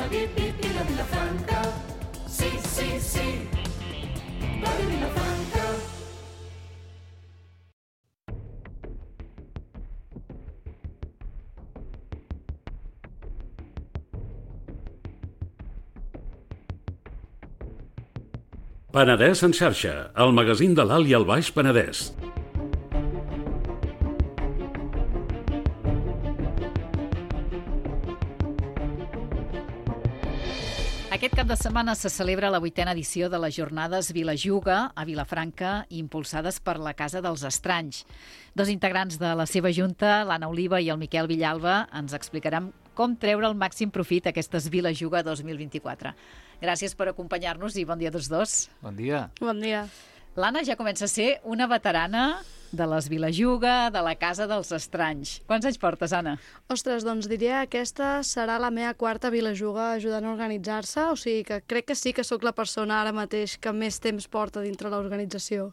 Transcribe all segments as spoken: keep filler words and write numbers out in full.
vi, vi, vi, la Vilafranca. Sí, sí, sí, Ràdio Vilafranca. Penedès en xarxa, el magazín de l'Alt i el Baix Penedès. Aquest cap de setmana se celebra la vuitena edició de les jornades Vilajuga a Vilafranca, impulsades per la Casa dels Estranys. Dos integrants de la seva junta, l'Anna Oliva i el Miquel Villalba, ens explicaran com treure el màxim profit a aquestes Vilajuga dos mil vint-i-quatre. Gràcies per acompanyar-nos i bon dia a tots dos. Bon dia. Bon dia. L'Anna ja comença a ser una veterana de les Vilajuga, de la Casa dels Estranys. Quants anys portes, Anna? Ostres, doncs diria que aquesta serà la meva quarta Vilajuga ajudant a organitzar-se, o sigui que crec que sí que sóc la persona ara mateix que més temps porta dintre l'organització,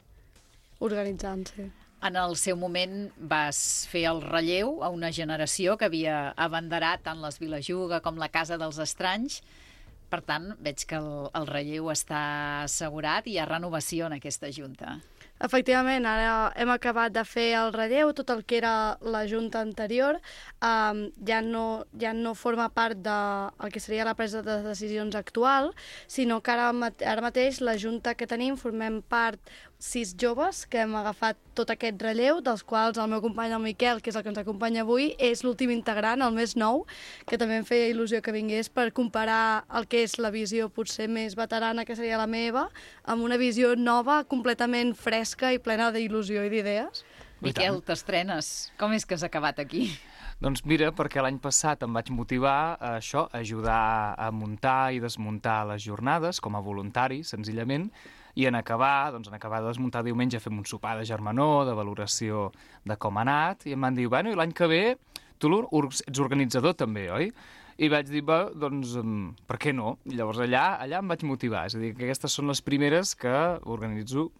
organitzant-se. En el seu moment vas fer el relleu a una generació que havia abanderat tant les Vilajuga com la Casa dels Estranys. Per tant, veig que el, el relleu està assegurat i hi ha renovació en aquesta junta. Efectivament, ara hem acabat de fer el relleu, tot el que era la junta anterior um, ja, no, ja no forma part del que seria la presa de decisions actual, sinó que ara, ara mateix la junta que tenim formem part sis joves que hem agafat tot aquest relleu, dels quals el meu company, el Miquel, que és el que ens acompanya avui, és l'últim integrant, el més nou, que també em feia il·lusió que vingués per comparar el que és la visió potser més veterana, que seria la meva, amb una visió nova, completament fresca i plena d'il·lusió i d'idees. Miquel, t'estrenes. Com és que has acabat aquí? Doncs mira, perquè l'any passat em vaig motivar a això, a ajudar a muntar i desmuntar les jornades com a voluntari, senzillament, i en acabar, doncs en acabar de desmuntar diumenge fem un sopar de germanor, de valoració de com ha anat, i em van dir, bueno, i l'any que ve tu ets organitzador també, oi? I vaig dir, bé, doncs, per què no? I llavors allà, allà em vaig motivar, és a dir, que aquestes són les primeres que organitzo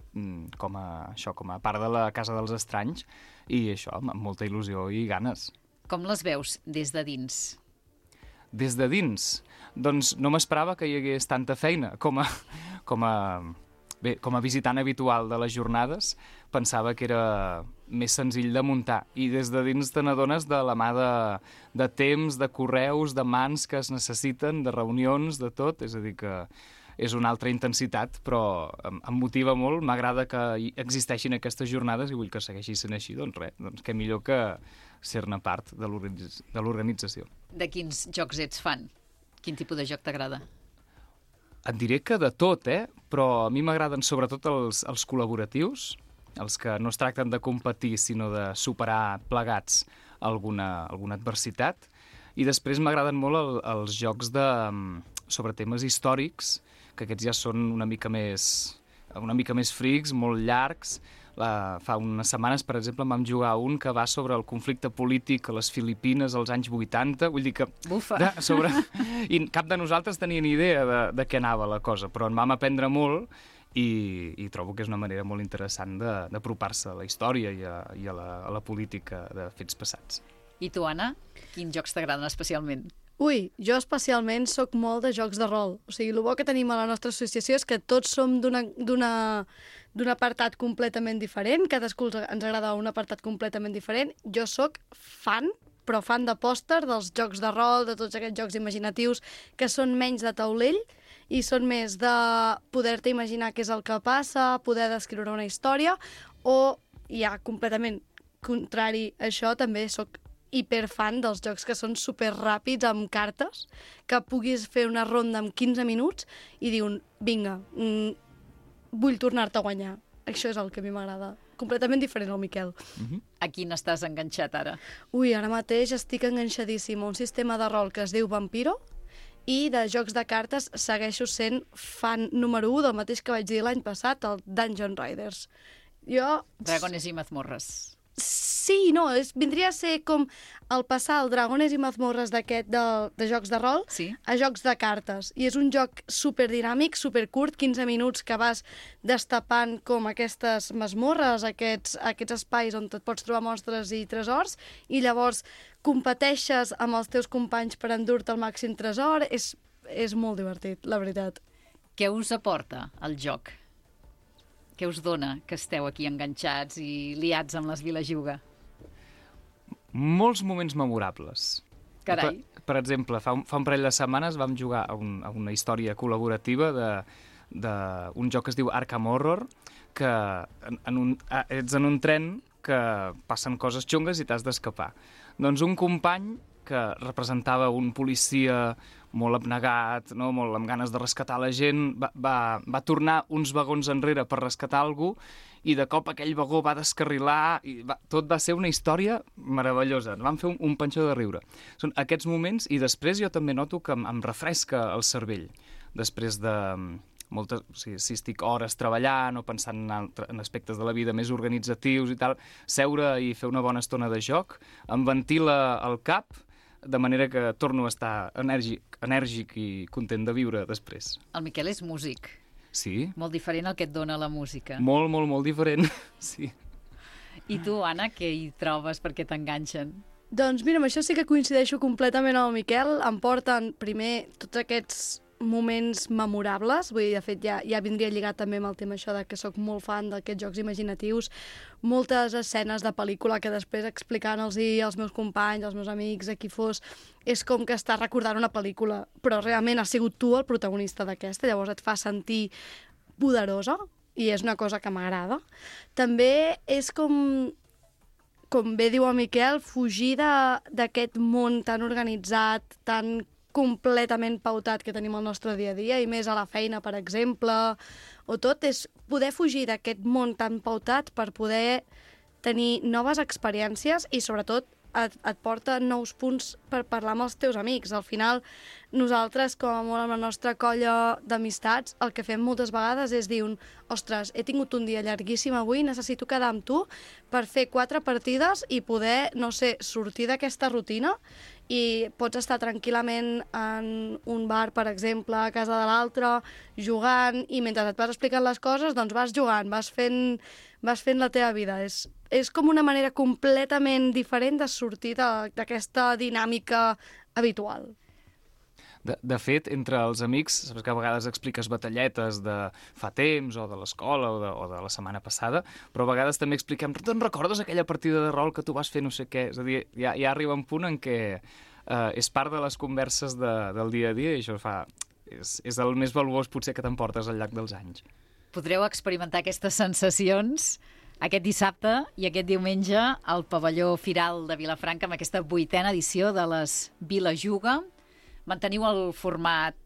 com a, això, com a part de la Casa dels Estranys, i això, amb molta il·lusió i ganes. Com les veus des de dins? Des de dins? Doncs no m'esperava que hi hagués tanta feina com a... Com a Bé, com a visitant habitual de les jornades, pensava que era més senzill de muntar. I des de dins te n'adones de la mà de, de temps, de correus, de mans que es necessiten, de reunions, de tot. És a dir, que és una altra intensitat, però em, em motiva molt. M'agrada que existeixin aquestes jornades i vull que segueixi sent així. Doncs res, doncs què millor que ser-ne part de l'organització. De quins jocs ets fan? Quin tipus de joc t'agrada? Et diré que de tot, eh? Però a mi m'agraden sobretot els, els col·laboratius, els que no es tracten de competir, sinó de superar plegats alguna, alguna adversitat. I després m'agraden molt el, els jocs de, sobre temes històrics, que aquests ja són una mica més, una mica més frics, molt llargs. La, fa unes setmanes, per exemple, vam jugar un que va sobre el conflicte polític a les Filipines als anys vuitanta. Vull dir que... Bufa! De, sobre, I cap de nosaltres tenia ni idea de, de què anava la cosa, però en vam aprendre molt i, i trobo que és una manera molt interessant d'apropar-se a la història i, a, i a, la, a la política de fets passats. I tu, Anna? Quins jocs t'agraden especialment? Ui, jo especialment sóc molt de jocs de rol. O sigui, el bo que tenim a la nostra associació és que tots som d'una d'un apartat completament diferent, cadascú ens agrada un apartat completament diferent. Jo sóc fan, però fan de pòster dels jocs de rol, de tots aquests jocs imaginatius que són menys de taulell i són més de poder-te imaginar què és el que passa, poder descriure una història, o ja completament contrari a això, també sóc hiperfan dels jocs que són superràpids amb cartes, que puguis fer una ronda en quinze minuts i dir un, vinga, mm, vull tornar-te a guanyar. Això és el que a mi m'agrada. Completament diferent al Miquel. Uh-huh. A quin estàs enganxat ara? Ui, ara mateix estic enganxadíssim a un sistema de rol que es diu Vampiro i de jocs de cartes segueixo sent fan número u del mateix que vaig dir l'any passat, el Dungeon Riders. Jo... Dragones i mazmorres. Sí, no, és, vindria a ser com el passar el Dragones i mazmorres d'aquest de, de jocs de rol sí. a jocs de cartes. I és un joc superdinàmic, supercurt, quinze minuts que vas destapant com aquestes mazmorres, aquests, aquests espais on et pots trobar monstres i tresors, i llavors competeixes amb els teus companys per endur-te el màxim tresor. És, és molt divertit, la veritat. Què us aporta el joc? Què us dona que esteu aquí enganxats i liats amb les Vilajuga? Molts moments memorables. Carai. Per, per exemple, fa un, fa un parell de setmanes vam jugar a, un, a una història col·laborativa de, d'un joc que es diu Arkham Horror, que en, en un, ets en un tren que passen coses xungues i t'has d'escapar. Doncs un company que representava un policia molt abnegat, no? Molt amb ganes de rescatar la gent, va, va, va tornar uns vagons enrere per rescatar algú i de cop aquell vagó va descarrilar i va, tot va ser una història meravellosa. Vam fer un, un panxó de riure. Són aquests moments i després jo també noto que em, em refresca el cervell després de moltes, o sigui, si estic hores treballant o pensant en, altre, en aspectes de la vida més organitzatius i tal, seure i fer una bona estona de joc em ventila el cap de manera que torno a estar enèrgic, enèrgic i content de viure després. El Miquel és músic. Sí. Molt diferent el que et dona la música. Molt, molt, molt diferent, sí. I tu, Anna, què hi trobes perquè t'enganxen? Doncs mira, amb això sí que coincideixo completament amb el Miquel. Em porten primer tots aquests moments memorables, vull dir, de fet ja, ja vindria lligat també amb el tema això de que sóc molt fan d'aquests jocs imaginatius, moltes escenes de pel·lícula que després explicant-los als meus companys, als meus amics, a qui fos, és com que estàs recordant una pel·lícula, però realment has sigut tu el protagonista d'aquesta, llavors et fa sentir poderosa i és una cosa que m'agrada. També és com, com bé diu el Miquel, fugir d'aquest món tan organitzat, tan completament pautat que tenim al nostre dia a dia, i més a la feina, per exemple, o tot, és poder fugir d'aquest món tan pautat per poder tenir noves experiències i, sobretot, et, et porta nous punts per parlar amb els teus amics. Al final, nosaltres, com a molt amb la nostra colla d'amistats, el que fem moltes vegades és dir un, ostres, he tingut un dia llarguíssim avui, necessito quedar amb tu per fer quatre partides i poder, no sé, sortir d'aquesta rutina, i pots estar tranquil·lament en un bar, per exemple, a casa de l'altre, jugant, i mentre et vas explicant les coses, doncs vas jugant, vas fent, vas fent la teva vida. És, és com una manera completament diferent de sortir d'aquesta dinàmica habitual. De, de fet, entre els amics, saps que a vegades expliques batalletes de fa temps, o de l'escola, o, de, o de la setmana passada, però a vegades també expliquem, te'n recordes aquella partida de rol que tu vas fer no sé què? És a dir, ja, ja arriba un punt en què eh, és part de les converses de, del dia a dia, i això fa, és, és el més valuós potser que t'emportes al llarg dels anys. Podreu experimentar aquestes sensacions aquest dissabte i aquest diumenge al pavelló Firal de Vilafranca amb aquesta vuitena edició de les Vilajuga. Manteniu el format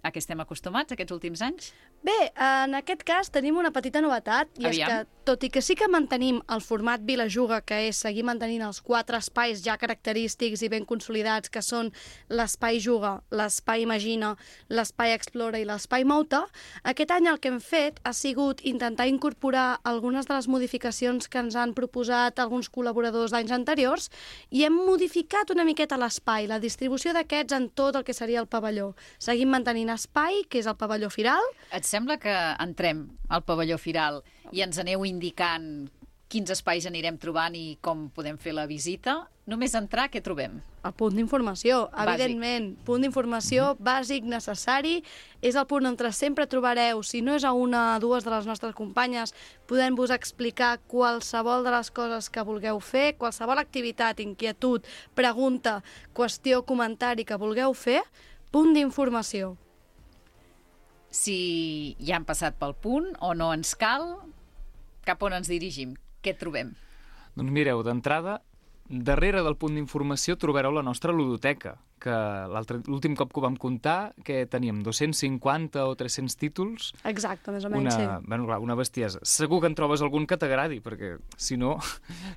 a què estem acostumats aquests últims anys? Bé, en aquest cas tenim una petita novetat, i Aviam. és que, tot i que sí que mantenim el format Vilajuga, que és seguir mantenint els quatre espais ja característics i ben consolidats, que són l'espai Juga, l'espai Imagina, l'espai Explora i l'espai Mouta, aquest any el que hem fet ha sigut intentar incorporar algunes de les modificacions que ens han proposat alguns col·laboradors d'anys anteriors, i hem modificat una miqueta l'espai, la distribució d'aquests en tot el que seria el pavelló. Seguim mantenint espai, que és el pavelló Firal. Et sembla que entrem al pavelló Firal i ens aneu indicant quins espais anirem trobant i com podem fer la visita? Només entrar, què trobem? El punt d'informació, Bàsic. evidentment. Punt d'informació bàsic, necessari. És el punt on sempre trobareu, si no és a una o dues de les nostres companyes, podem-vos explicar qualsevol de les coses que vulgueu fer, qualsevol activitat, inquietud, pregunta, qüestió, comentari que vulgueu fer, punt d'informació. Si ja han passat pel punt o no ens cal, cap on ens dirigim? Què trobem? Doncs mireu, d'entrada, darrere del punt d'informació trobareu la nostra ludoteca, que l'últim cop que ho vam comptar, que teníem dos-cents cinquanta o tres-cents títols. Exacte, més o menys, una, sí. Bueno, clar, una bestiesa. Segur que en trobes algun que t'agradi, perquè si no,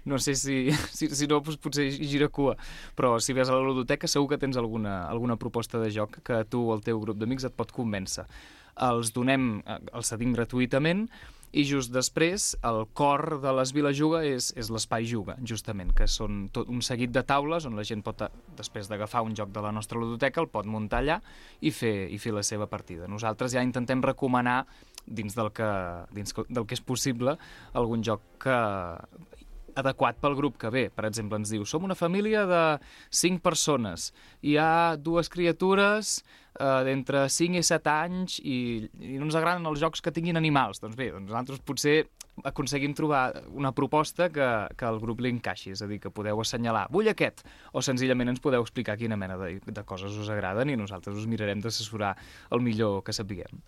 no sé si, si, si no, doncs potser gira cua. Però si ves a la ludoteca segur que tens alguna, alguna proposta de joc que tu o el teu grup d'amics et pot convèncer. Els donem, els cedim gratuïtament, i just després el cor de les Vilajuga és, és l'espai Juga, justament, que són tot un seguit de taules on la gent pot, després d'agafar un joc de la nostra ludoteca, el pot muntar allà i fer, i fer la seva partida. Nosaltres ja intentem recomanar, dins del que, dins del que és possible, algun joc que adequat pel grup que ve. Per exemple, ens diu, som una família de cinc persones, hi ha dues criatures eh, d'entre cinc i set anys i, i no ens agraden els jocs que tinguin animals. Doncs bé, doncs nosaltres potser aconseguim trobar una proposta que, que al grup li encaixi, és a dir, que podeu assenyalar, vull aquest, o senzillament ens podeu explicar quina mena de, de coses us agraden i nosaltres us mirarem d'assessorar el millor que sapiguem.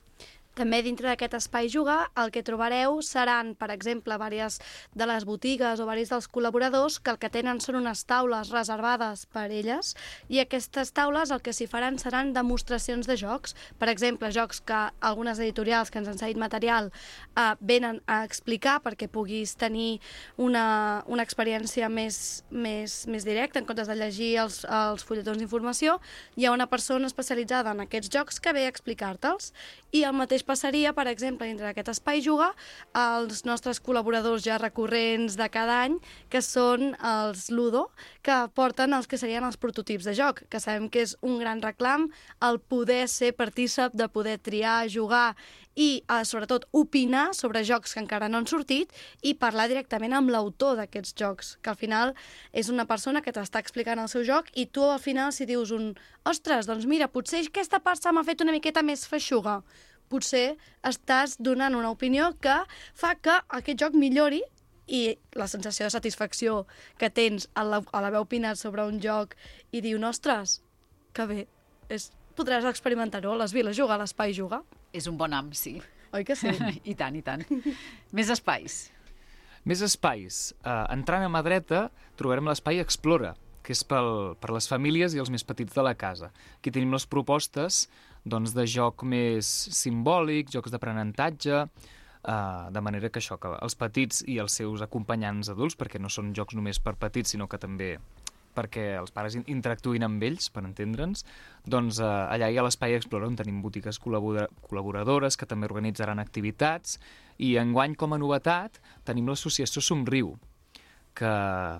També dintre d'aquest espai jugar el que trobareu seran, per exemple, diverses de les botigues o diversos dels col·laboradors que el que tenen són unes taules reservades per elles i aquestes taules el que s'hi faran seran demostracions de jocs. Per exemple, jocs que algunes editorials que ens han cedit material eh, venen a explicar perquè puguis tenir una, una experiència més, més, més directa en comptes de llegir els, els fulletons d'informació. Hi ha una persona especialitzada en aquests jocs que ve a explicar-te'ls i el mateix passaria, per exemple, dintre d'aquest espai jugar, els nostres col·laboradors ja recurrents de cada any, que són els Ludo, que porten els que serien els prototips de joc, que sabem que és un gran reclam el poder ser partícip, de poder triar, jugar i, eh, sobretot, opinar sobre jocs que encara no han sortit i parlar directament amb l'autor d'aquests jocs, que al final és una persona que t'està explicant el seu joc i tu al final si dius un ostres, doncs mira, potser aquesta part se m'ha fet una miqueta més feixuga, potser estàs donant una opinió que fa que aquest joc millori i la sensació de satisfacció que tens a l'haver opinat sobre un joc i dir, ostres, que bé, és, podràs experimentar-ho a les viles, jugar a l'espai jugar. És un bon am, sí. Oi que sí? I tant, i tant. Més espais. Més espais. Uh, entrant a mà dreta trobarem l'espai Explora, que és pel, per les famílies i els més petits de la casa. Aquí tenim les propostes doncs, de joc més simbòlic, jocs d'aprenentatge, uh, de manera que això, que els petits i els seus acompanyants adults, perquè no són jocs només per petits, sinó que també perquè els pares interactuïn amb ells, per entendre'ns, doncs uh, allà hi ha l'Espai Explora, on tenim botigues col·labora col·laboradores que també organitzaran activitats, i enguany, com a novetat, tenim l'associació Somriu, que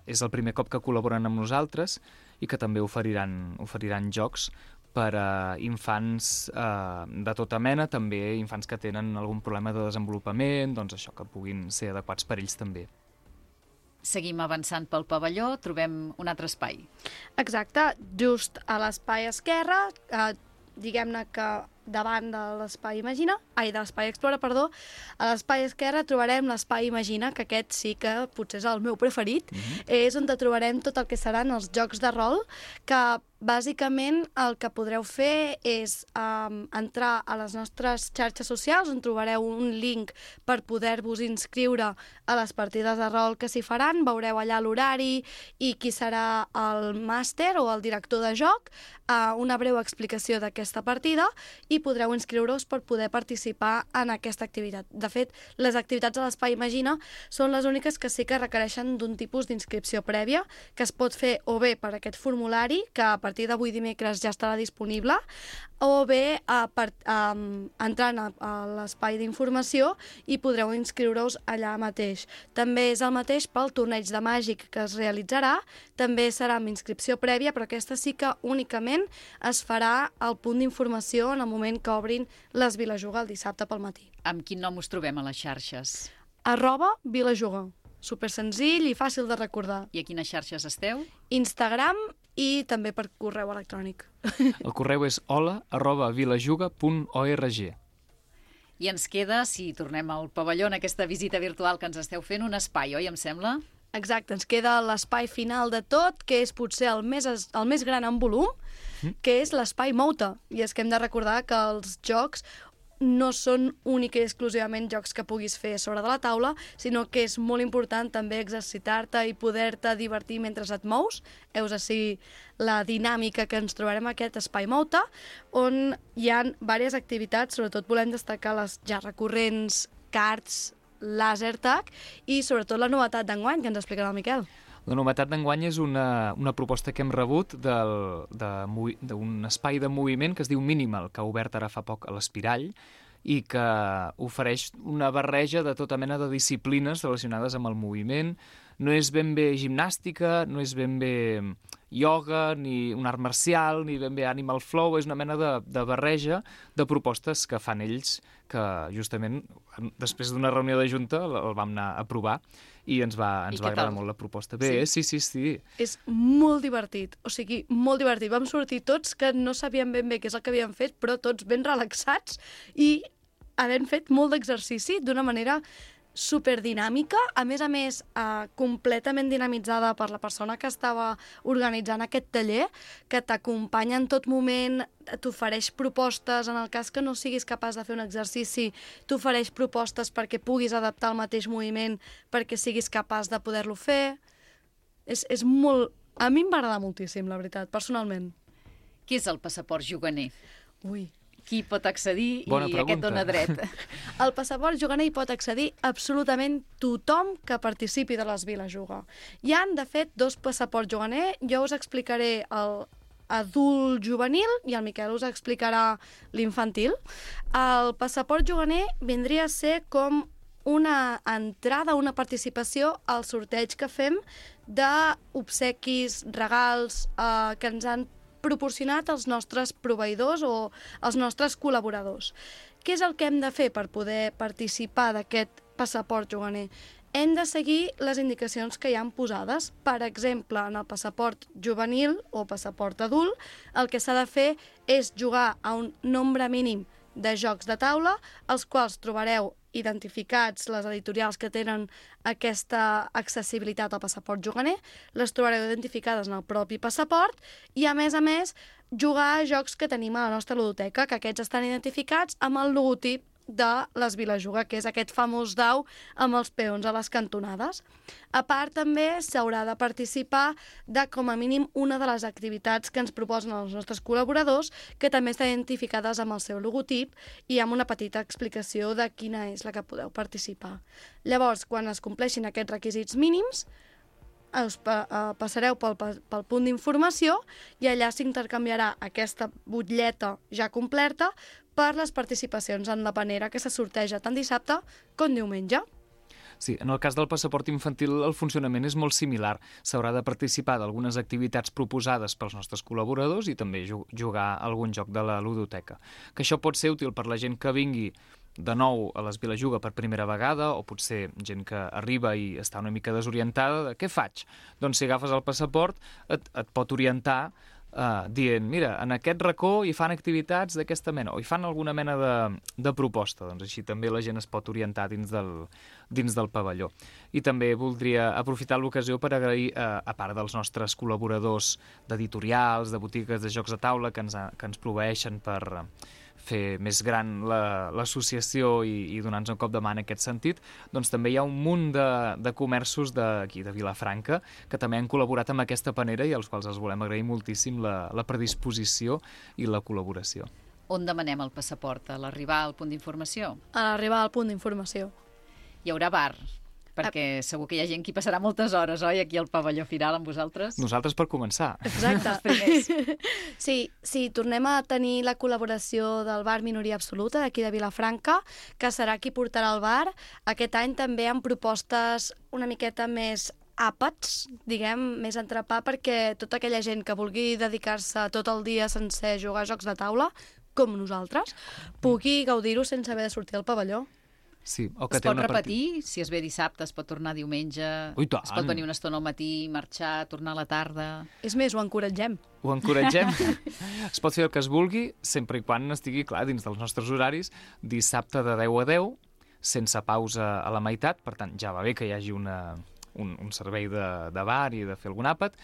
és el primer cop que col·laboren amb nosaltres i que també oferiran, oferiran jocs per a infants eh, de tota mena, també infants que tenen algun problema de desenvolupament, doncs això, que puguin ser adequats per ells també. Seguim avançant pel pavelló, trobem un altre espai. Exacte, just a l'espai esquerre, eh, diguem-ne que davant de l'espai Imagina, ai, de l'espai Explora, perdó, a l'espai esquerre trobarem l'espai Imagina, que aquest sí que potser és el meu preferit, mm-hmm. és on trobarem tot el que seran els jocs de rol, que bàsicament el que podreu fer és um, entrar a les nostres xarxes socials, on trobareu un link per poder-vos inscriure a les partides de rol que s'hi faran, veureu allà l'horari i qui serà el màster o el director de joc, uh, una breu explicació d'aquesta partida i podreu inscriure-us per poder participar en aquesta activitat. De fet, les activitats a l'Espai Imagina són les úniques que sí que requereixen d'un tipus d'inscripció prèvia, que es pot fer o bé per aquest formulari, que a partir d'avui dimecres ja estarà disponible, o bé a, per, a, entrant a, a l'espai d'informació i podreu inscriure-us allà mateix. També és el mateix pel torneig de màgic que es realitzarà, també serà amb inscripció prèvia, però aquesta sí que únicament es farà al punt d'informació en el moment que obrin les Vilajuga el dissabte pel matí. Amb quin nom us trobem a les xarxes? Arroba Vilajuga. Super senzill i fàcil de recordar. I a quines xarxes esteu? Instagram i també per correu electrònic. El correu és hola arroba vilajuga punt org. I ens queda, si tornem al pavelló en aquesta visita virtual que ens esteu fent, un espai, oi, em sembla? Exacte, ens queda l'espai final de tot, que és potser el més, el més gran en volum, que és l'espai Mouta. I és que hem de recordar que els jocs no són únic i exclusivament jocs que puguis fer sobre de la taula, sinó que és molt important també exercitar-te i poder-te divertir mentre et mous. Heus així la dinàmica que ens trobarem a aquest espai Mouta, on hi ha diverses activitats, sobretot volem destacar les ja recurrents cards, laser tag i sobretot la novetat d'enguany que ens explicarà el Miquel. La novetat d'enguany és una, una proposta que hem rebut del, de, d'un espai de moviment que es diu Minimal, que ha obert ara fa poc a l'Espirall i que ofereix una barreja de tota mena de disciplines relacionades amb el moviment, no és ben bé gimnàstica, no és ben bé ioga, ni un art marcial, ni ben bé animal flow, és una mena de, de barreja de propostes que fan ells, que justament després d'una reunió de junta el, el vam anar a provar i ens va, ens I va què agradar tal? molt la proposta. Bé, sí, sí, sí. sí. És molt divertit, o sigui, molt divertit. Vam sortir tots que no sabíem ben bé què és el que havíem fet, però tots ben relaxats i havent fet molt d'exercici d'una manera superdinàmica, a més a més eh, completament dinamitzada per la persona que estava organitzant aquest taller, que t'acompanya en tot moment, t'ofereix propostes, en el cas que no siguis capaç de fer un exercici, t'ofereix propostes perquè puguis adaptar el mateix moviment perquè siguis capaç de poder-lo fer. És, és molt... A mi em va agradar moltíssim, la veritat, personalment. Què és el passaport juganer? Ui... Qui pot accedir Bona i pregunta. aquest dona dret? Al passaport juganer hi pot accedir absolutament tothom que participi de les Viles Juga. Hi han, de fet, dos passaports juganer. Jo us explicaré el adult juvenil i el Miquel us explicarà l'infantil. El passaport juganer vindria a ser com una entrada, una participació al sorteig que fem d'obsequis, regals eh, que ens han proporcionat els nostres proveïdors o els nostres col·laboradors. Què és el que hem de fer per poder participar d'aquest passaport juganer? Hem de seguir les indicacions que hi han posades. Per exemple, en el passaport juvenil o passaport adult, el que s'ha de fer és jugar a un nombre mínim de jocs de taula, els quals trobareu identificats les editorials que tenen aquesta accessibilitat al passaport juganer, les trobareu identificades en el propi passaport i, a més a més, jugar a jocs que tenim a la nostra ludoteca, que aquests estan identificats amb el logotip de les Viles Juga, que és aquest famós dau amb els peons a les cantonades. A part, també s'haurà de participar de, com a mínim, una de les activitats que ens proposen els nostres col·laboradors, que també estan identificades amb el seu logotip i amb una petita explicació de quina és la que podeu participar. Llavors, quan es compleixin aquests requisits mínims, us pa uh, passareu pel, pel punt d'informació i allà s'intercanviarà aquesta butlleta ja completa per les participacions en la panera que se sorteja tant dissabte com diumenge. Sí, en el cas del passaport infantil el funcionament és molt similar. S'haurà de participar d'algunes activitats proposades pels nostres col·laboradors i també jugar a algun joc de la ludoteca. Que això pot ser útil per la gent que vingui de nou a les Viles Juga per primera vegada, o potser gent que arriba i està una mica desorientada de què faig? Doncs si agafes el passaport et, et pot orientar uh, dient, mira, en aquest racó hi fan activitats d'aquesta mena, o hi fan alguna mena de, de proposta, doncs així també la gent es pot orientar dins del, dins del pavelló. I també voldria aprofitar l'ocasió per agrair, uh, a part dels nostres col·laboradors d'editorials, de botigues de jocs de taula que ens, que ens proveeixen per fer més gran l'associació i, i donar-nos un cop de mà en aquest sentit, doncs també hi ha un munt de, de comerços d'aquí, de Vilafranca, que també han col·laborat amb aquesta panera i als quals els volem agrair moltíssim la, la predisposició i la col·laboració. On demanem el passaport? A l'arribar al punt d'informació? A l'arribar al punt d'informació. Hi haurà bar? Perquè segur que hi ha gent que hi passarà moltes hores, oi, aquí al pavelló Firal amb vosaltres? Nosaltres per començar. Exacte. Sí, sí, tornem a tenir la col·laboració del bar Minoria Absoluta d'aquí de Vilafranca, que serà qui portarà el bar. Aquest any també amb propostes una miqueta més àpats, diguem, més entrepà, perquè tota aquella gent que vulgui dedicar-se tot el dia sencer a jugar a jocs de taula, com nosaltres, pugui gaudir-ho sense haver de sortir del pavelló. Sí, o que es té pot una repetir? Part... Si es ve dissabte, es pot tornar diumenge? Ui, tant. Es pot venir una estona al matí, marxar, tornar a la tarda? És més, ho encoratgem. Ho encoratgem. Es pot fer el que es vulgui, sempre i quan estigui clar dins dels nostres horaris, dissabte de deu a deu, sense pausa a la meitat, per tant, ja va bé que hi hagi una... Un, un servei de, de bar i de fer algun àpat,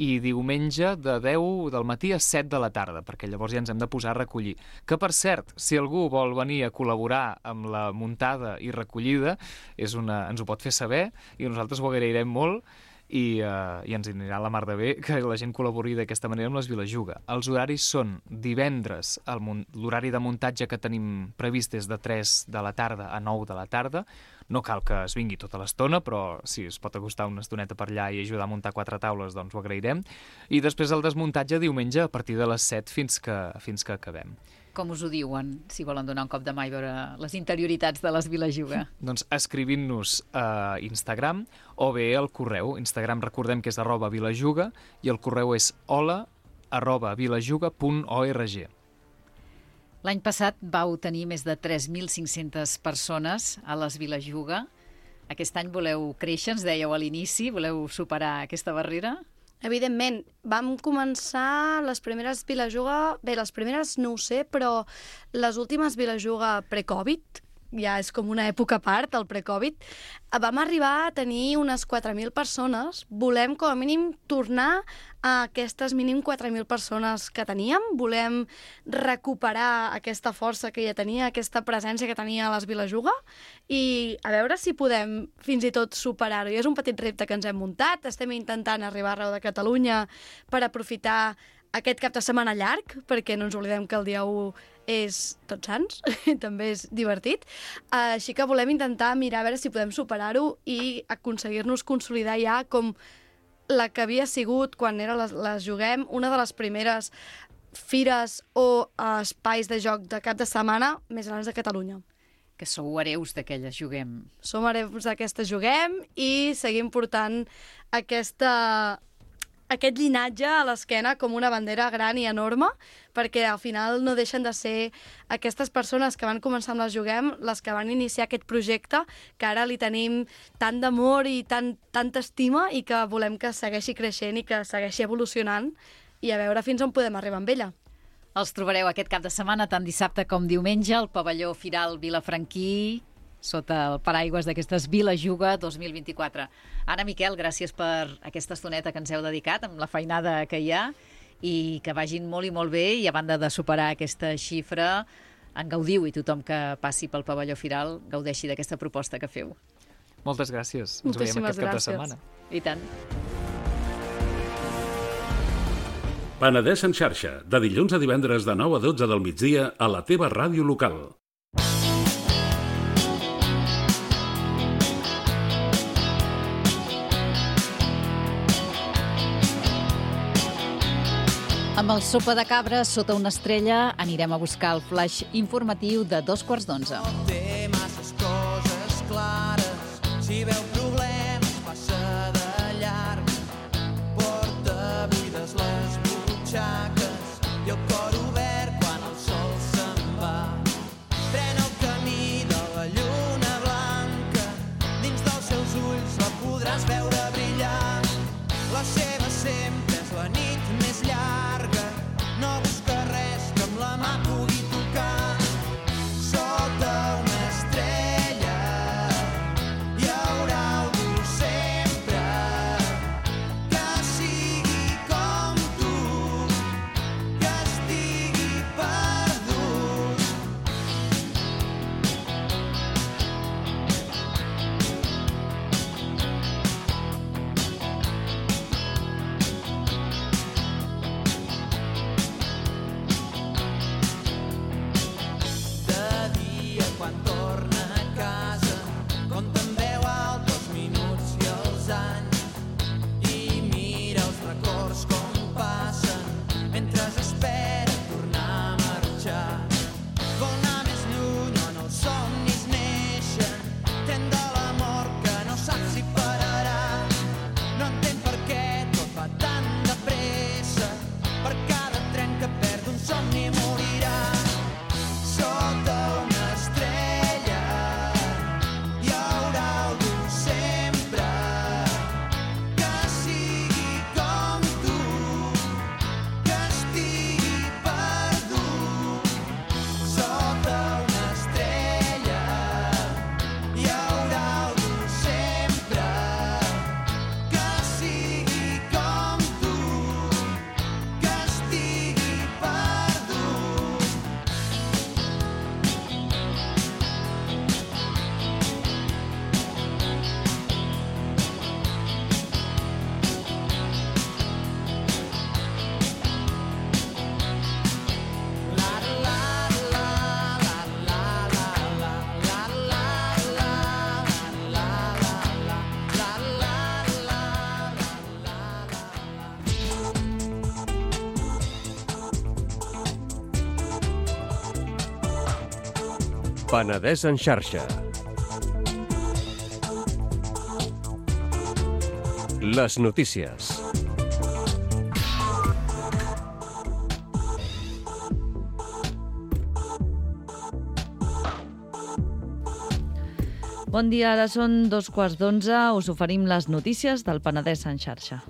i diumenge de deu del matí a set de la tarda, perquè llavors ja ens hem de posar a recollir. Que, per cert, si algú vol venir a col·laborar amb la muntada i recollida, és una, ens ho pot fer saber, i nosaltres ho agrairem molt, i, uh, i ens anirà la mar de bé que la gent col·labori d'aquesta manera amb les Viles Juga. Els horaris són divendres, l'horari de muntatge que tenim previst és de tres de la tarda a nou de la tarda. No cal que es vingui tota l'estona, però si es pot acostar una estoneta per allà i ajudar a muntar quatre taules, doncs ho agrairem. I després el desmuntatge diumenge a partir de les set fins que, fins que acabem. Com us ho diuen, si volen donar un cop de mà i veure les interioritats de les Vilajuga? Doncs escrivint-nos a Instagram o bé al correu. Instagram recordem que és arroba vilajuga i el correu és hola arroba vilajuga punt org. L'any passat vau tenir més de tres mil cinc-centes persones a les Vilajuga. Aquest any voleu créixer, ens dèieu a l'inici, voleu superar aquesta barrera? Evidentment, vam començar les primeres Vilajuga... Bé, les primeres no ho sé, però les últimes Vilajuga pre-Covid, ja és com una època a part, el pre-Covid, vam arribar a tenir unes quatre mil persones. Volem, com a mínim, tornar a aquestes mínim quatre mil persones que teníem. Volem recuperar aquesta força que ja tenia, aquesta presència que tenia a les Vilajuga i a veure si podem fins i tot superar-ho. I és un petit repte que ens hem muntat. Estem intentant arribar arreu de Catalunya per aprofitar aquest cap de setmana llarg, perquè no ens oblidem que el dia u és Tots Sants, també és divertit. Així que volem intentar mirar a veure si podem superar-ho i aconseguir-nos consolidar ja com la que havia sigut quan era les, les Juguem, una de les primeres fires o espais de joc de cap de setmana més grans de Catalunya. Que sou hereus d'aquelles Juguem. Som hereus d'aquesta Juguem i seguim portant aquesta... aquest llinatge a l'esquena com una bandera gran i enorme, perquè al final no deixen de ser aquestes persones que van començar amb les Juguem, les que van iniciar aquest projecte, que ara li tenim tant d'amor i tant, tanta estima i que volem que segueixi creixent i que segueixi evolucionant i a veure fins on podem arribar amb ella. Els trobareu aquest cap de setmana, tant dissabte com diumenge, al pavelló Firal Vilafranquí, sota el paraigües d'aquestes Vilajuga dos mil vint-i-quatre. Anna, Miquel, gràcies per aquesta estoneta que ens heu dedicat, amb la feinada que hi ha, i que vagin molt i molt bé, i a banda de superar aquesta xifra, en gaudiu i tothom que passi pel pavelló Firal gaudeixi d'aquesta proposta que feu. Moltes gràcies. Ens veiem aquest cap de setmana. I tant. Penedès en xarxa, de dilluns a divendres de nou a dotze del migdia a la teva ràdio local. Amb el Sopa de Cabra sota una estrella anirem a buscar el flash informatiu de dos quarts d'onze. Té masses coses clares, si veu problemes passa de llarg. Porta buides les butxaques i el cor obert quan el sol se'n va. Pren el camí de la lluna blanca, dins dels seus ulls la podràs veure brillar. La seva sempre és la nit més llarga, no busca res que amb la mà pugui tocar. Sota una estrella hi haurà algú sempre que sigui com tu, que estigui perdut. Penedès en xarxa. Les notícies. Bon dia, ara són dos quarts d'onze. Us oferim les notícies del Penedès en xarxa.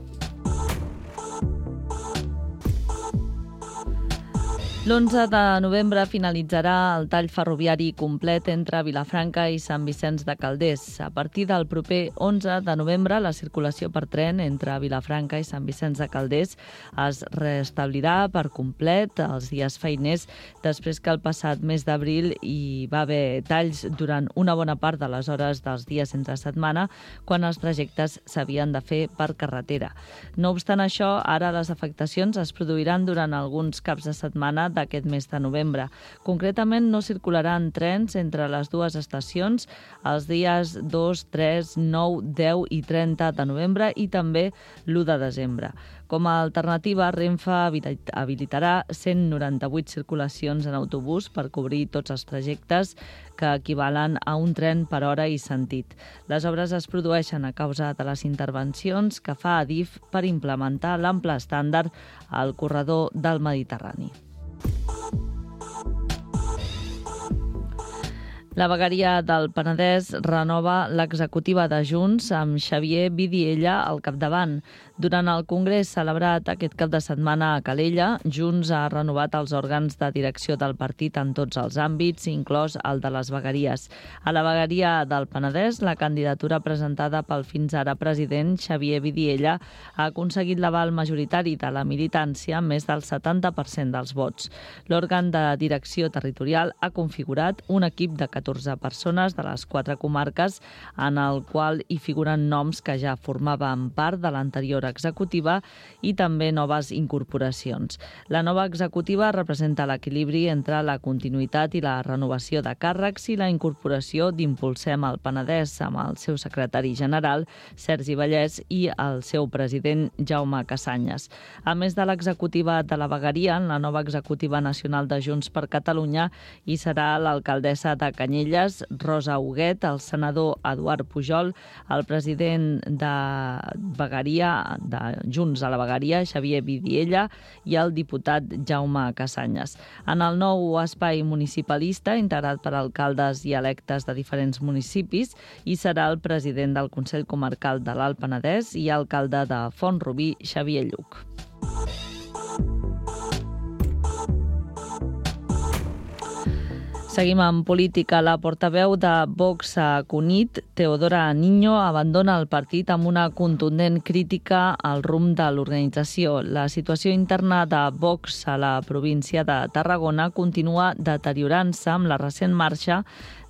L'onze de novembre finalitzarà el tall ferroviari complet entre Vilafranca i Sant Vicenç de Calders. A partir del proper onze de novembre, la circulació per tren entre Vilafranca i Sant Vicenç de Calders es restablirà per complet els dies feiners, després que el passat mes d'abril hi va haver talls durant una bona part de les hores dels dies entre setmana, quan els trajectes s'havien de fer per carretera. No obstant això, ara les afectacions es produiran durant alguns caps de setmana d'aquest mes de novembre. Concretament, no circularan trens entre les dues estacions els dies dos, tres, nou, deu i trenta de novembre i també l'u de desembre. Com a alternativa, Renfe habilitarà cent noranta-vuit circulacions en autobús per cobrir tots els trajectes que equivalen a un tren per hora i sentit. Les obres es produeixen a causa de les intervencions que fa Adif per implementar l'ample estàndard al corredor del Mediterrani. La vegueria del Penedès renova l'executiva de Junts amb Xavier Vidiella al capdavant. Durant el congrés celebrat aquest cap de setmana a Calella, Junts ha renovat els òrgans de direcció del partit en tots els àmbits, inclòs el de les vegueries. A la vegueria del Penedès, la candidatura presentada pel fins ara president Xavier Vidiella ha aconseguit l'aval majoritari de la militància amb més del setanta per cent dels vots. L'òrgan de direcció territorial ha configurat un equip de catorze persones de les quatre comarques en el qual hi figuren noms que ja formaven part de l'anterior executiva i també noves incorporacions. La nova executiva representa l'equilibri entre la continuïtat i la renovació de càrrecs i la incorporació d'Impulsem el Penedès amb el seu secretari general, Sergi Vallès, i el seu president, Jaume Casanyes. A més de l'executiva de la vegueria, en la nova executiva nacional de Junts per Catalunya hi serà l'alcaldessa de Canyelles, Rosa Huguet, el senador Eduard Pujol, el president de vegueria de Junts a la vegueria, Xavier Vidiella, i el diputat Jaume Casanyes. En el nou espai municipalista, integrat per alcaldes i electes de diferents municipis, hi serà el president del Consell Comarcal de l'Alt Penedès i alcalde de Font-rubí, Xavier Lluc. Seguim amb política. La portaveu de Vox a Cunit, Teodora Niño, abandona el partit amb una contundent crítica al rumb de l'organització. La situació interna de Vox a la província de Tarragona continua deteriorant-se amb la recent marxa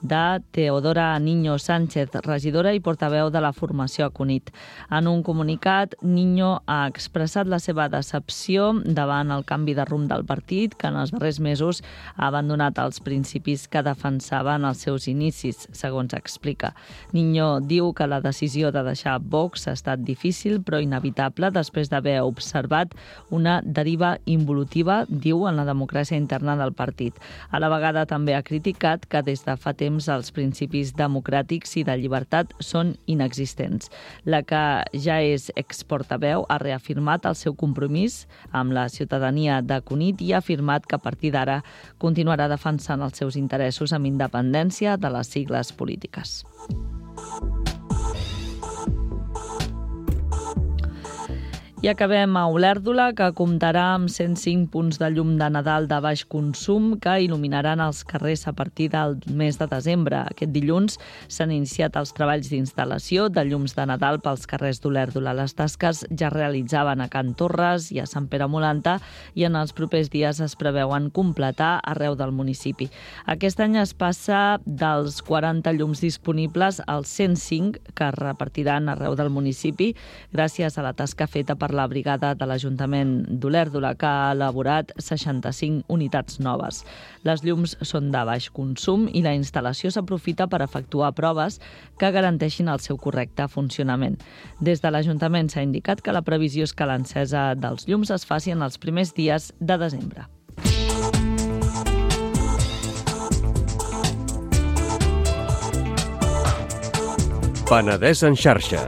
de Teodora Niño Sánchez, regidora i portaveu de la formació a Cunit. En un comunicat, Niño ha expressat la seva decepció davant el canvi de rumb del partit, que en els darrers mesos ha abandonat els principis que defensava en els seus inicis, segons explica. Niño diu que la decisió de deixar Vox ha estat difícil però inevitable després d'haver observat una deriva involutiva, diu, en la democràcia interna del partit. A la vegada també ha criticat que des de fa temps els principis democràtics i de llibertat són inexistents. La que ja és exportaveu ha reafirmat el seu compromís amb la ciutadania de Cunit i ha afirmat que a partir d'ara continuarà defensant els seus interessos amb independència de les sigles polítiques. I acabem a Olèrdola, que comptarà amb cent cinc punts de llum de Nadal de baix consum que il·luminaran els carrers a partir del mes de desembre. Aquest dilluns s'han iniciat els treballs d'instal·lació de llums de Nadal pels carrers d'Olèrdola. Les tasques ja realitzaven a Can Torres i a Sant Pere Molanta i en els propers dies es preveuen completar arreu del municipi. Aquest any es passa dels quaranta llums disponibles als cent cinc que es repartiran arreu del municipi gràcies a la tasca feta per la brigada de l'Ajuntament d'Olèrdola, que ha elaborat seixanta-cinc unitats noves. Les llums són de baix consum i la instal·lació s'aprofita per efectuar proves que garanteixin el seu correcte funcionament. Des de l'Ajuntament s'ha indicat que la previsió és que l'encesa dels llums es faci en els primers dies de desembre. Penedès en xarxa.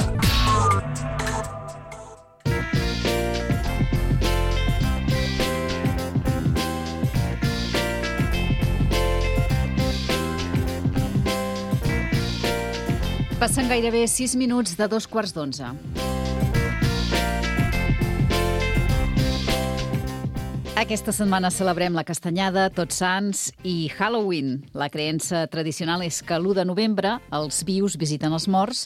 Passen gairebé sis minuts de dos quarts d'onze. Aquesta setmana celebrem la Castanyada, Tots Sants i Halloween. La creença tradicional és que l'u de novembre els vius visiten els morts.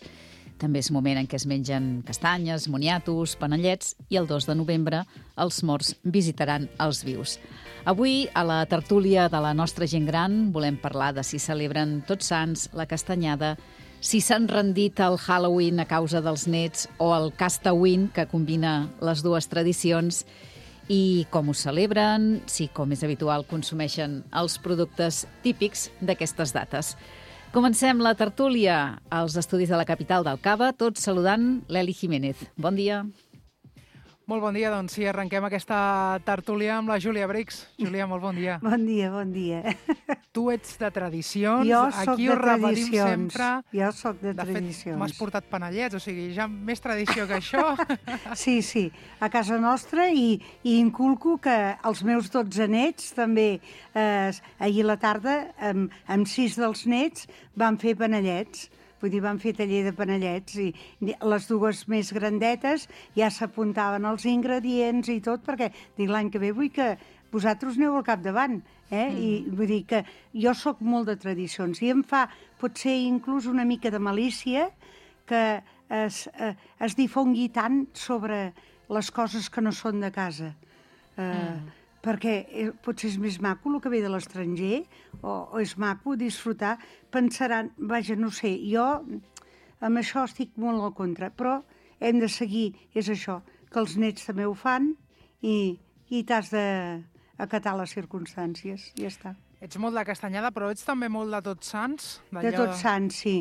També és moment en què es mengen castanyes, moniatos, panellets, i el dos de novembre els morts visitaran els vius. Avui, a la tertúlia de la nostra gent gran, volem parlar de si celebren Tots Sants, la Castanyada, si s'han rendit al Halloween a causa dels nets o el Castawin, que combina les dues tradicions, i com ho celebren, si, com és habitual, consumeixen els productes típics d'aquestes dates. Comencem la tertúlia als estudis de la capital del Cava, tots saludant l'Eli Jiménez. Bon dia. Molt bon dia, doncs sí, arrenquem aquesta tertúlia amb la Júlia Brix. Júlia, molt bon dia. Bon dia, bon dia. Tu ets de tradicions, jo soc aquí de ho repetim tradicions. sempre. Jo soc de, de tradicions. De fet, m'has portat panellets, o sigui, ja més tradició que això. Sí, sí, a casa nostra, i, i inculco que els meus dotze nets també, eh, ahir a la tarda, amb, amb sis dels nets, van fer panellets. Vull dir, van fer taller de panellets, i les dues més grandetes ja s'apuntaven els ingredients i tot, perquè dic, l'any que ve vull que vosaltres aneu al capdavant, eh? Mm. I vull dir que jo sóc molt de tradicions, i em fa potser inclús una mica de malícia que es, eh, es difongui tant sobre les coses que no són de casa. Eh, mm. Perquè potser és més maco el que ve de l'estranger, o, o és maco disfrutar, pensaran, vaja, no sé, jo amb això estic molt al contra, però hem de seguir, és això, que els nets també ho fan, i, i t'has d'acatar les circumstàncies, ja està. Ets molt de Castanyada, però ets també molt de Tots Sants? De Tots Sants, sí.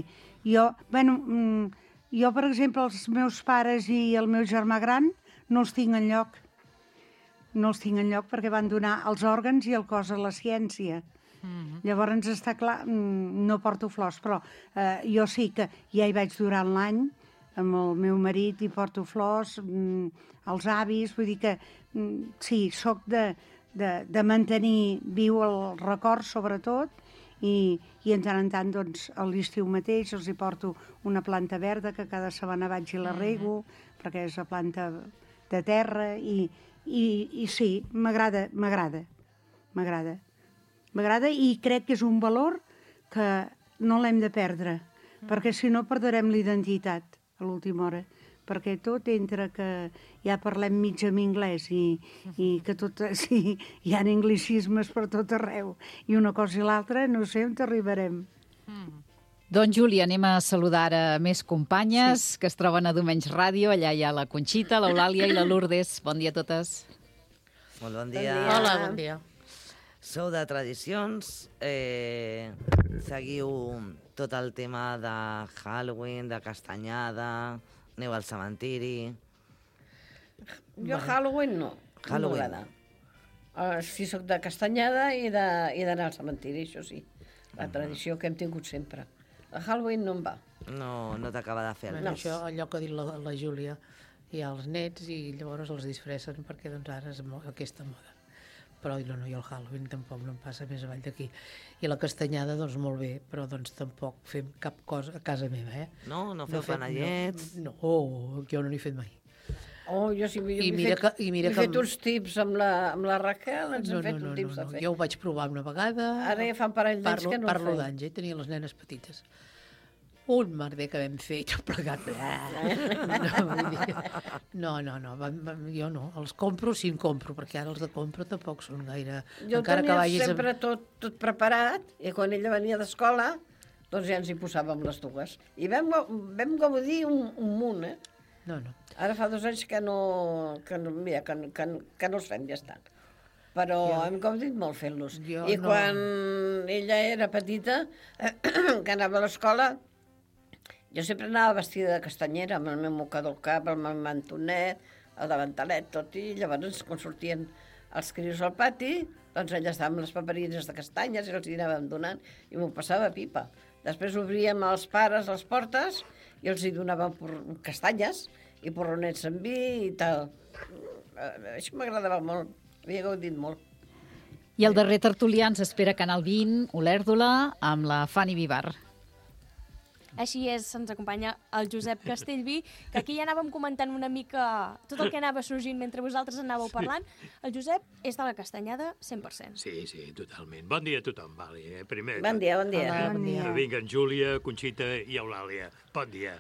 Jo, bueno, jo, per exemple, els meus pares i el meu germà gran no els tinc enlloc. No els tinc enlloc perquè van donar els òrgans i el cos a la ciència. Mm-hmm. Llavors està clar, no porto flors, però eh, jo sí que ja hi vaig durant l'any, amb el meu marit hi porto flors, mm, els avis, vull dir que mm, sí, sóc de, de, de mantenir viu el record sobretot, i, i en tant en tant, doncs, a l'estiu mateix els hi porto una planta verda que cada setmana vaig i la rego, mm-hmm. perquè és la planta de terra, i I, i sí, m'agrada, m'agrada, m'agrada. M'agrada, i crec que és un valor que no l'hem de perdre, mm. perquè si no perdrem l'identitat a l'última hora, perquè tot entre que ja parlem mig en anglès i, i que tot, sí, hi ha anglicismes per tot arreu, i una cosa i l'altra no sé on arribarem. Mm. Doncs, Júlia, anem a saludar ara més companyes sí. que es troben a Domenys Ràdio. Allà hi ha la Conxita, l'Eulàlia i la Lourdes. Bon dia a totes. Molt bon dia. Bon dia. Hola, bon dia. Sou de tradicions, eh, seguiu tot el tema de Halloween, de Castanyada, aneu al cementiri... Jo bueno. Halloween no, Halloween. no uh, sí, soc de Castanyada i d'anar al cementiri, això sí. La tradició que hem tingut sempre. El Halloween no em va. No, no t'acaba de fer el no. Això, allò que ha dit la, la Júlia, hi ha els nets i llavors els disfressen perquè doncs ara és aquesta moda. Però no, no, jo el Halloween tampoc no em passa més avall d'aquí. I la Castanyada, doncs molt bé, però doncs tampoc fem cap cosa a casa meva, eh? No, no feu no panellets? No, no, oh, jo no n'he fet mai. Oh, jo sí, I m'he mira fet, que, i mira he que... fet uns tips amb la, amb la Raquel, ens no, hem fet no, no, uns tips no, no. de fer. Jo ho vaig provar una vegada. Ara ja fa un parell d'anys que no ho Parlo fem. d'anys, eh? Tenia les nenes petites. Un merder que vam fer i tot plegat. No, no, no, jo no. Els compro si en compro, perquè ara els de compro tampoc són gaire... Jo Encara tenia que vagis sempre amb... tot, tot preparat, i quan ella venia d'escola, doncs ja ens hi posàvem les dues. I vam, vam gaudir un, un munt, eh? No, no. Ara fa dos anys que no, que no, mira, que, que, que no els fem, ja està. Però jo, hem gaudit molt fent-los. I no. Quan ella era petita, eh, que anava a l'escola, jo sempre anava vestida de castanyera, amb el meu mocador al cap, amb el mantonet, el davantalet, tot, i llavors quan sortien els crios al pati, doncs ella estava amb les paperines de castanyes i els hi anàvem donant, i m'ho passava pipa. Després obríem els pares les portes i els hi donava castanyes i porronets amb vi i tal. Això m'agradava molt, havia gaudit molt. I el darrer tertulià ens espera Canal vint, Olèrdola, amb la Fanny Vivar. Així és, ens acompanya el Josep Castellví, que aquí ja anàvem comentant una mica tot el que anava sorgint mentre vosaltres anàveu parlant. El Josep és de la Castanyada cent per cent. Sí, sí, totalment. Bon dia a tothom, Vali. Eh? Primer, bon dia, bon dia. Hola, bon dia. Que vinguen Júlia, Conxita i Eulàlia. Bon dia.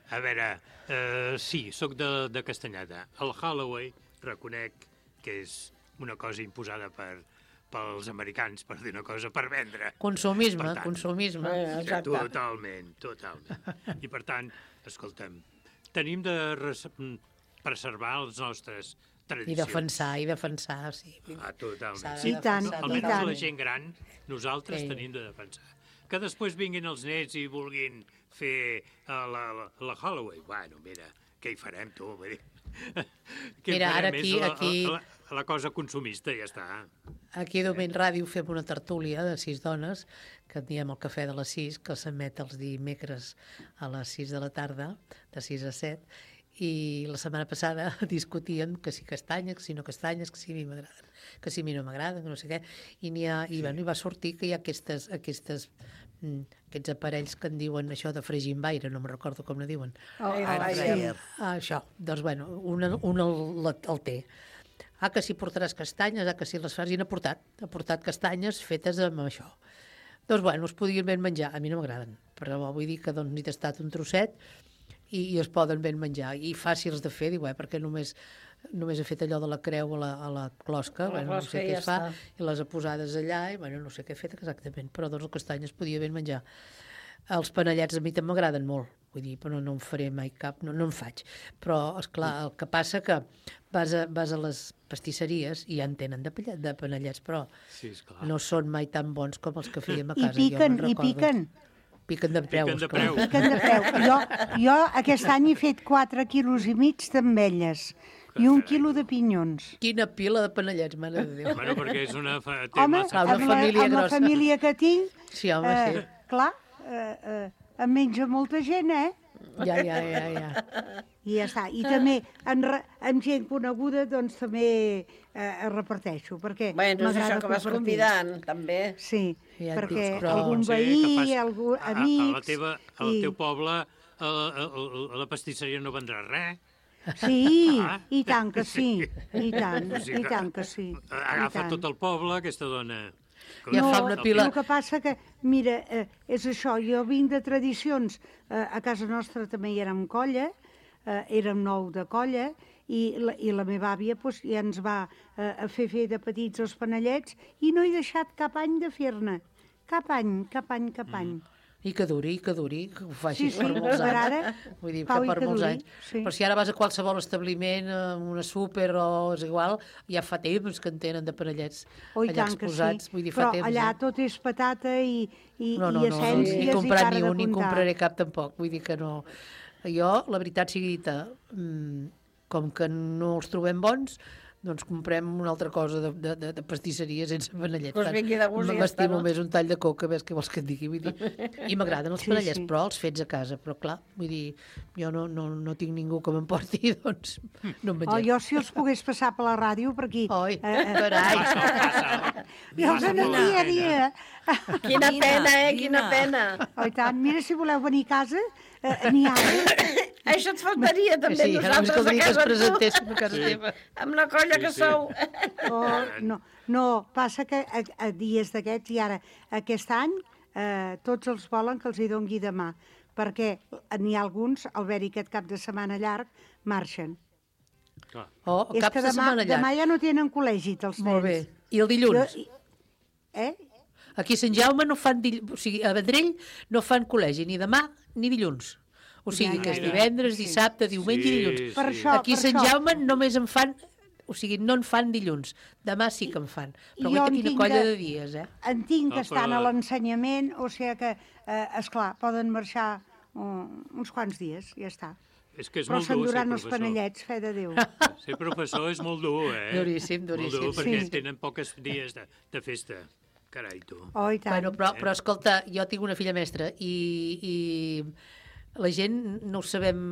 A veure, eh, sí, sóc de, de Castanyada. El Halloween, reconec que és una cosa imposada per... pels americans, per dir una cosa, per vendre. Consumisme, per tant, consumisme. Eh, totalment, totalment. I per tant, escolta'm, tenim de res preservar les nostres tradicions. I defensar, i defensar, sí. Ah, totalment. I tant, no, i almenys tant. la gent gran, nosaltres sí. tenim de defensar. Que després vinguin els nets i vulguin fer uh, la, la, la Halloween. Bueno, mira, què hi farem, tu? Vull dir, què mira, ara farem? aquí... És la, aquí... la, la cosa consumista, ja està. Aquí a Domeny Ràdio fem una tertúlia de sis dones, que en diem el cafè de les sis, que s'emet els dimecres a les sis de la tarda, de sis a set, i la setmana passada discutíem que si castanyes, que si no castanyes, que si a mi m'agraden, que si a mi no m'agraden, que no sé què, i, n'hi ha, i, bueno, i va sortir que hi ha aquestes, aquestes, mm, aquests aparells que en diuen això de fregir amb aire, no me'n recordo com ne diuen. Oh, ah, sí. Ah, això, doncs bueno, un, un el, el té. Ah, que si portaràs castanyes, ah, que si les fas, i n'ha portat, ha portat castanyes fetes amb això. Doncs, bueno, es podien ben menjar, a mi no m'agraden, però vull dir que doncs n'hi tastat un trosset i, i es poden ben menjar, i fàcils de fer, diu, eh, perquè només, només he fet allò de la creu a la, a la closca, la bueno, closca no sé què ja es fa, està. i les ha posades allà, i bueno, no sé què he fet exactament, però doncs el castany es podia ben menjar. Els panellets a mi també m'agraden molt, vull dir, però no en faré mai cap, no, no en faig. Però, esclar, el que passa que vas a, vas a les pastisseries i ja en tenen de, de panellets, però sí, no són mai tan bons com els que fèiem a casa. I piquen, i piquen. Piquen de preu, piquen de esclar. preu. Piquen de preu. Jo, jo aquest any he fet quatre quilos i mig d'ametlles i un quilo de pinyons. Quina pila de panellets, mare de Déu. Bueno, perquè és una... Fa... Home, una amb, la, família amb la grossa. família que tinc, sí, home, eh, sí. clar, eh, eh, em menja molta gent, eh? Ja, ja, ja, ja. I ja està. I també en, re, amb gent coneguda doncs també eh, reparteixo, perquè bueno, és això que vas compartir. convidant, també. Sí, ja perquè dic, però... algun Pot ser veí, que pas- algú, a, amics... A, la teva, al i... teu poble, a, a, a la pastisseria no vendrà res. Sí, Ah. i tant que sí, i tant, O sigui i tant que sí. Agafa i tant. tot el poble, aquesta dona. Ja no, fa una pila. El que passa que, mira, eh, és això, jo vinc de tradicions, eh, a casa nostra també hi érem colla, eh, érem nou de colla, i la, i la meva àvia pues, ja ens va eh, a fer fer de petits els panellets, i no he deixat cap any de fer-ne, cap any, cap any, cap any. Mm. I que duri, i que duri, que ho facis Sí, sí, per molts per anys. ara, Vull dir, Pau, que i per que molts duri, anys. sí. Però si ara vas a qualsevol establiment, a una súper o és igual, ja fa temps que en tenen de panellets Oh, i allà tant que exposats. sí. Vull dir, fa Però temps, allà eh? tot és patata i, i, No, no, i no, no, essències ni he comprat i cara ni de un, ni en comptar. compraré cap tampoc. Vull dir que no... Jo, la veritat sigui dita, mmm, com que no els trobem bons, doncs comprem una altra cosa de, de, de, de pastisseria sense panellets. Pues vingui de gust i ja està, M'estimo no? més un tall de coca, ves què vols que et digui. Vull dir. I m'agraden els Sí, panellets, sí. però els fets a casa. Però clar, vull dir, jo no, no, no tinc ningú que m'emporti, doncs no en Oh, mengem. jo si els pogués passar per la ràdio, per aquí. Oi, Eh, eh, carai. Jo els aniria a dir... Quina pena, eh? Quina pena. Oh, i tant. Mira, si voleu venir a casa, eh, n'hi ha. Això et faltaria també Sí, ara només nosaltres a caldria que es casa tu. presentéssim a casa Sí. teva. Amb la colla Sí, que sí. sou. Oh, no, no, passa que a, a dies d'aquests, i ara aquest any, eh, tots els volen que els hi dongui demà, perquè n'hi ha alguns, al haver-hi aquest cap de setmana llarg, marxen. Clar. Oh, És cap que de demà, setmana llarg. demà ja no tenen col·legi, els nens. Molt bé. I el dilluns? Jo, eh? Aquí a Sant Jaume no fan dilluns, o sigui, a Vendrell no fan col·legi ni demà ni dilluns. O sigui, Ja, que ja, és ja. divendres, Sí. dissabte, diumenge Sí, i dilluns. sí. Per això, Aquí a per Sant això. Jaume només en fan, o sigui, no en fan dilluns. Demà sí que en fan. Però Jo guaita en quina tinc colla de- de dies, eh? En tinc que Ah, estan però- a l'ensenyament, o sigui que, eh, esclar, poden marxar uh, uns quants dies, ja està. És que és Però molt dur ser s'enduran els professor. panellets, fe de Déu. Ser professor és molt dur, eh? Duríssim, duríssim. Molt dur, perquè Sí. tenen poques dies de, de festa. Carai, tu. Oh, i tant. Bueno, però, però escolta, jo tinc una filla mestra i, i la gent no ho sabem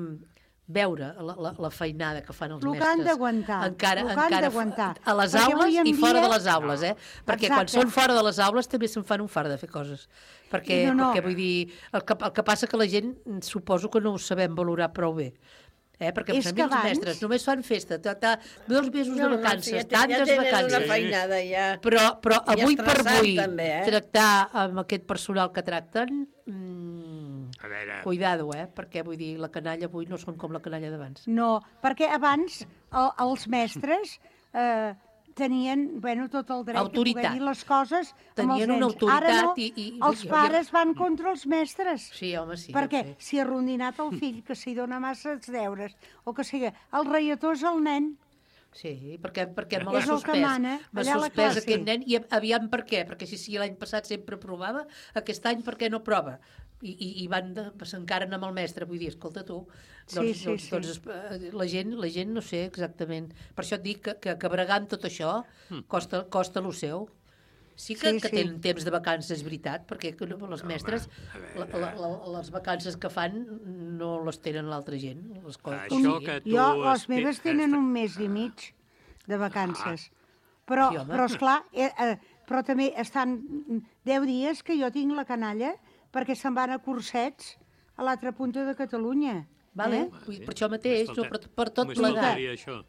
veure, la, la, la feinada que fan els Lo que mestres. han d'aguantar, Encara, lo que han encara d'aguantar. a les Perquè aules avui en i fora dia- de les aules, eh? Perquè quan Exacte. són fora de les aules també se'n fan un fart de fer coses. Perquè, No, no. perquè vull dir, el que, el que passa que la gent suposo que no ho sabem valorar prou bé. Eh? Perquè És per mi que els abans- mestres només fan festa, ta, ta, dos mesos No, de no, vacances, sí, ja té- tantes ja tenen vacances. una feinada ja. Però, però I avui per estressant, avui també, eh? tractar amb aquest personal que tracten, mm, A veure... cuidado, eh? Perquè vull dir, la canalla avui no són com la canalla d'abans. No, perquè abans el, els mestres eh, tenien, bueno, tot el dret Autoritat. de poder dir les coses amb els Tenien una nens. Ara autoritat no, i- i- els i- pares van contra els mestres. Sí, home, sí. perquè ja ho sé. si ha rondinat el fill, que s'hi dona massa els deures, o que sigui, el reietó és el nen. Sí, perquè, perquè me És l'ha el que suspès. mana, M'ha allà a la suspès classe. aquest nen i aviam per què, perquè si, si l'any passat sempre provava, aquest any per què no prova? I, i, i van de- s'encaren amb el mestre, vull dir, escolta tu, Sí, doncs, sí, doncs, sí. doncs eh, la, gent, la gent no sé exactament, per això et dic que, que, que bregar amb tot això costa, costa lo seu. Sí que, Sí, que sí. tenen temps de vacances, és veritat, perquè que no, les mestres, la, la, la, les vacances que fan no les tenen l'altra gent. Les coses, Això que tu Jo, les has- meves tenen un mes i mig de vacances. Però, Sí, home. però esclar, eh, eh, però també estan deu dies que jo tinc la canalla perquè se'n van a cursets a l'altra punta de Catalunya. Vale? Eh? Vull dir, per això mateix, no, per, per tot Només plegat. faltaria això.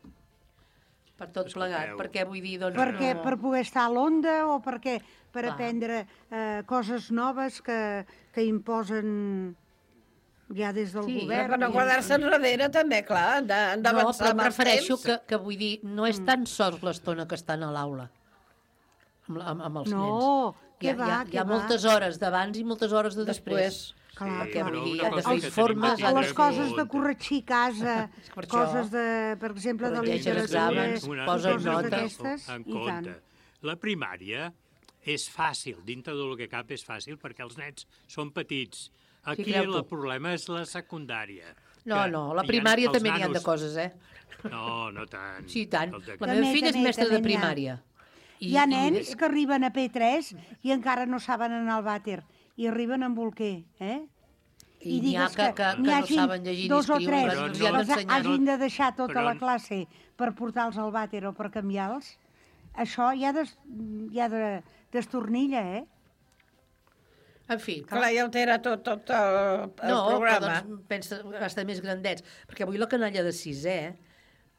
Per tot plegat, perquè vull dir, doncs... Perquè, no... per poder estar a l'onda o perquè per Clar. aprendre eh, coses noves que, que imposen ja des del Sí, govern. Per no guardar-se enrere, també, clar, han de- han No, d'avançar però em amb els refereixo temps. que, que vull dir, no és tan sols l'estona que estan a l'aula amb, amb, amb els No, nens. què hi ha, va, hi ha, què hi ha va. moltes hores d'abans i moltes hores de després. Després. Clar, Perquè, clar. vull dir, Però han una de cosa fer que informes... tenim O aquí les coses de corregir casa, per això. coses de, per exemple, de Corregeix els literatura, exàmens, i posa coses nota. d'aquestes, en i tant. compte. La primària és fàcil, dintre del que cap és fàcil, perquè els nens són petits. Aquí creu el tu. problema és la secundària. No, que no, la hi ha- primària els també n'hi ha de nanos- coses, eh? No, no tant. Sí, i tant. Els de- La meva També, filla és també, mestra de també n'hi ha. primària. Hi ha nens que arriben a P tres i encara no saben anar al vàter i arriben amb bolquer, eh? I n'hi ha digues que- que- que n'hi no hagin saben llegir ni dos o escriure, tres però que els hi han els d'ensenyar. hagin de deixar tota Però- la classe per portar-los al vàter o per canviar-los, això ja, des, ja de, destornilla, eh? En fi, Clar, ja altera tot, tot el, el no, programa. però doncs pensa estar més grandets, perquè avui la canalla de sisè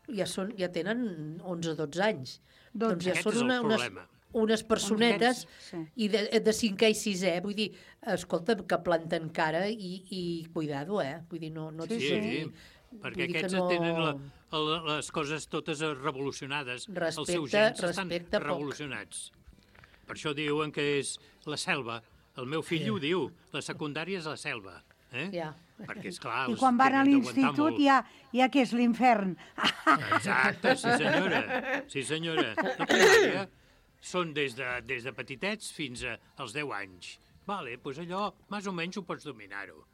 ja, són, ja tenen onze o dotze anys. Dotze. Doncs ja Aquest són és el una, unes, problema. unes personetes Sí. i de, de cinquè i sisè, vull dir, escolta, que planten cara i, i cuidado, eh? Vull dir, no, no et Sí, sí, senti- perquè vull dir que aquests no- tenen la, la, les coses totes revolucionades. Els seus Respecte- gens estan respecte poc. revolucionats. Per això diuen que és la selva. El meu fill Sí. ho diu, la secundària és la selva. Eh? Ja. Perquè, esclar, I els quan van a tenen d'aguantar l'institut molt. ja, ja que és l'infern. Exacte, sí senyora. Sí senyora. La primària són des de, des de petitets fins a, als deu anys. Vale, doncs allò, més o menys ho pots dominar-ho.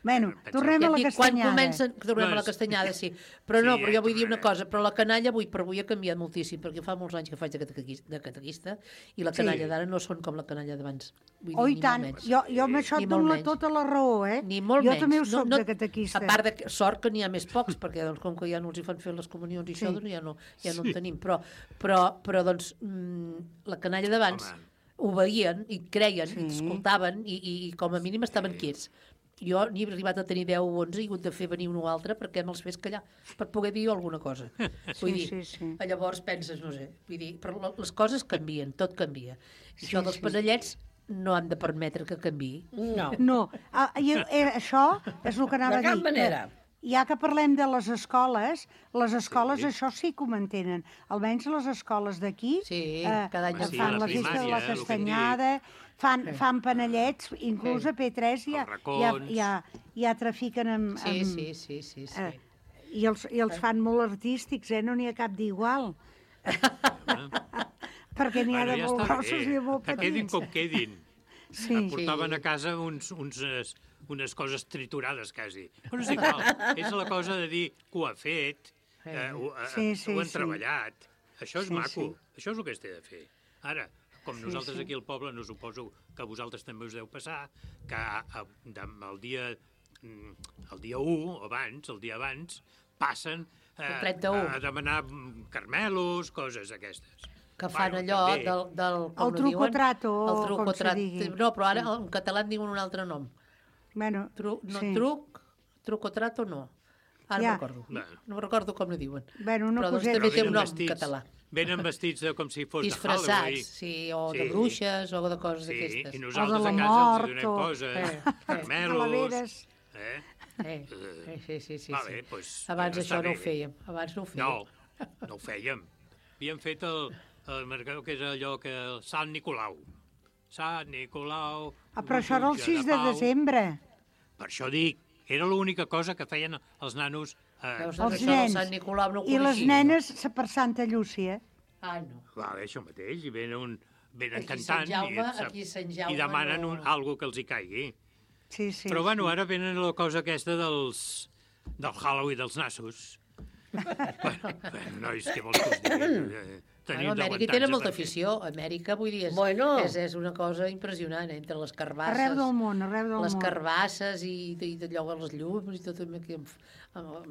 Bueno, tornem a la Ja et dic, quan castanyada. comencen, tornem a la Doncs- castanyada, sí. Però no, Sí, però ja jo vull dir una tornarem. cosa, però la canalla avui per avui ha canviat moltíssim, perquè fa molts anys que faig de catequista, de catequista i la Sí. canalla d'ara no són com la canalla d'abans. Vull dir, Oh, i ni tant, molt menys. jo, jo amb això Ni et molt dono la, menys. tota la raó, eh? Ni molt jo menys. també ho No- soc no- de catequista. A part de que, sort que n'hi ha més pocs, perquè doncs, com que ja no els hi fan fer les comunions i Sí. això, doncs ja no, ja no Sí. en tenim. Però, però, però doncs, mm, la canalla d'abans obeïen i creien, Sí. i escoltaven, i, i, i com a mínim estaven quiets. Jo n'he arribat a tenir deu o onze i he hagut de fer venir un o altre perquè me'ls fes callar, per poder dir alguna cosa. Vull Sí, dir, sí, sí. llavors penses, no sé, vull dir, però la- les coses canvien, tot canvia. I Sí, això dels sí. panellets no han de permetre que canviï. No. No, ah, i, eh, això és el que anava De a cap dir. manera. Que, ja que parlem de les escoles, les escoles sí. això sí que ho mantenen. Almenys les escoles d'aquí sí, eh, cada any en Sí, fan la la festa de primària, la eh, el que castanyada, fan, fan panellets, inclús Sí. a P tres ja, Els ja, racons. ja, ja trafiquen amb... Sí, amb sí, sí, sí, sí. Eh, i, els, I els fan molt artístics, eh? No n'hi ha cap d'igual. Perquè n'hi ha Bueno, de ja molt està grossos bé. i de molt Que quedin petits. com quedin. Sí. Em portaven a casa uns, uns, eh, unes coses triturades, quasi. Però és igual, és la cosa de dir que ho ha fet, eh, ho, eh, Sí, sí, ho han sí. treballat. Això és Sí, maco, sí. això és el que es té de fer. Ara, com Sí, nosaltres sí. aquí al poble, no suposo que a vosaltres també us deu passar, que a, a, de, el dia el dia u, abans, el dia abans, passen eh, El trenta-u. a demanar carmelos, coses aquestes. Que fan Bueno, allò també. del, del... com El lo diuen? truco-trato, El com se truco-trato. digui. No, però ara en català en diuen un altre nom. Bueno, Tru, no, sí. truc, truco-trato no. Ara Ja. no recordo. Bueno. No recordo com ho diuen. Bueno, una però doncs coseta. també té Però un nom vestits- català. Venen vestits de, com si fos de Disfressats, Halloween. sí, o de Sí. bruixes, o de coses Sí, d'aquestes. i nosaltres O de a la casa mort, els hi donem o- coses, Eh, eh. carmelos... Calaveres. Eh? Eh, eh, sí, sí, sí. Va sí. bé, doncs, Abans està això no bé. ho fèiem. Abans no ho fèiem. No, no ho fèiem. Havíem fet el, el mercador, que és allò que... El Sant Nicolau. Sant Nicolau... Ah, però això era el jutge sis de pau. desembre. Per això dic, era l'única cosa que feien els nanos... Eh, Veus, Els doncs això del nens. Sant Nicolau no ho I les coneixia. nenes per Santa Llúcia. Ah, no. Va bé, això mateix, i venen, un, venen Aquí Sant cantant Jaume- i, aquí Sant Jaume i demanen no- un, algo que els hi caigui. Sí, sí. Però bueno, sí. ara venen la cosa aquesta dels, del Halloween dels nassos. bueno, bueno, nois, què vols que us digui? Eh, Bueno, Amèrica hi tenen molta afició. Amèrica, vull dir, és, Bueno. és, és una cosa impressionant, eh? Entre les carbasses... Arreu del món, arreu del les món. carbasses i, i allò, les llums i tot... Aquí, en f-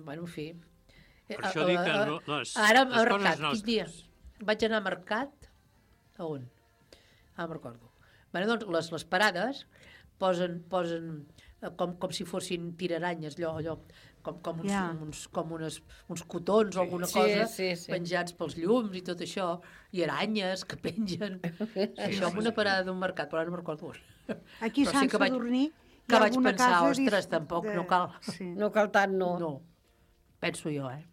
bueno, en fi... Per això dic que no- les- Ara, les a coses mercat, quin nostres. dia? Vaig anar a mercat... A on? Ah, me'n recordo. Bueno, doncs, les, les parades posen, posen eh, com, com si fossin tiraranyes, allò, allò com, com, uns, Ja. uns, com unes, uns cotons o alguna Sí, cosa sí, sí. penjats pels llums i tot això, i aranyes que pengen. Això en una parada d'un mercat, però ara no me'n recordo on. Aquí a Però Sant que vaig- Sadurní hi que ha vaig alguna pensar, casa ostres, dis- tampoc de- no cal. Sí. No cal tant, no. No, penso jo, eh?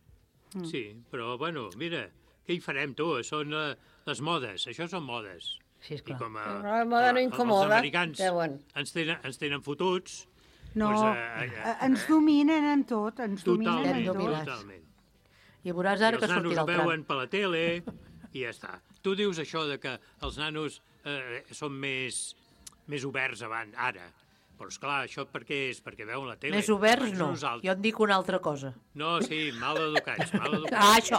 Sí, però bueno, mira, què hi farem, tu? Són eh, les modes, això són modes. Sí, I com a, Però la moda no els incomoda, americans deuen. ens tenen, ens tenen fotuts, No, doncs, eh, eh, ens dominen en tot, ens dominen totalment, en tot. dominats. totalment. I veuràs I ara els que nanos sortirà ho el tram. veuen per la tele i ja està. Tu dius això de que els nanos eh, són més, més oberts abans, ara. Però, esclar, això per què és? Perquè veuen la tele. Més oberts Abans no, nosaltres- jo en dic una altra cosa. No, sí, mal educats, mal educats. Ah, això!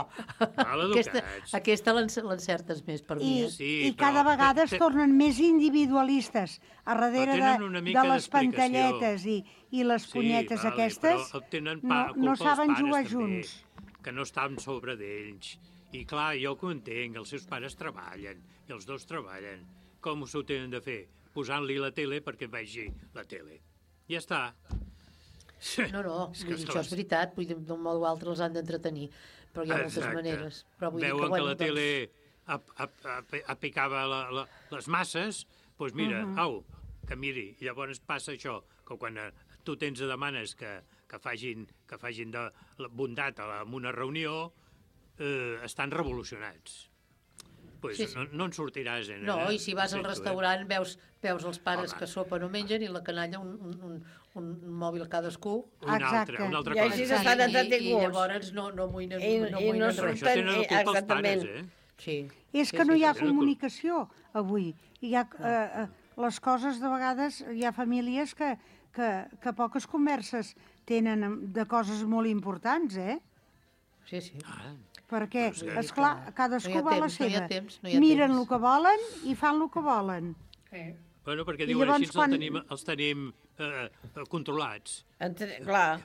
Mal Aquesta, educats. aquesta l'enc- l'encertes més per mi, I, eh? Sí, i però cada vegada es te- tornen més individualistes a darrere de, tenen una mica de les d'explicació. pantalletes i, i les punyetes vale, aquestes, però tenen no, pa, no culpa els saben pares, jugar també, junts. que no estan sobre d'ells. I clar, jo que ho entenc, els seus pares treballen, i els dos treballen. Com s'ho tenen de fer? Posant-li la tele perquè vegi la tele. Ja està. No, no, És vull que, dir, esclar, això és veritat, vull dir, d'un modo o altre els han d'entretenir, però hi ha moltes Exacte. maneres. Però vull Veuen dir que, que bueno, la tele ap ap ap apicava la, la, les masses, doncs mira, Mhm. au, que miri. I llavors passa això, que quan eh, tu tens i demanes que, que facin, que facin de la bondat a la, en una reunió, eh, estan revolucionats. Pues Sí, sí. No, no en sortiràs, eh? No, nena? i si vas al Sento, eh? restaurant veus, veus els pares Home. que sopen o mengen i la canalla un, un, un, un mòbil cadascú. Una altra, una altra I cosa. així estan I, entretinguts. I llavors no, no amoïnen, I- no i no amoïnen Però res. això tenen la culpa els exactament. pares, eh? Sí. És sí, que no sí, hi ha sí. comunicació avui. Hi ha, eh, eh, les coses, de vegades, hi ha famílies que, que, que poques converses tenen amb- de coses molt importants, eh? Sí, sí. Ah, Perquè, Doncs que- esclar, cadascú No hi ha va a la temps, no hi ha seva. temps, no hi ha Miren temps. el que volen i fan el que volen. Eh. Bueno, perquè I diuen llavors així quan... quan- els tenim, els tenim eh, eh, controlats. Entre... Clar,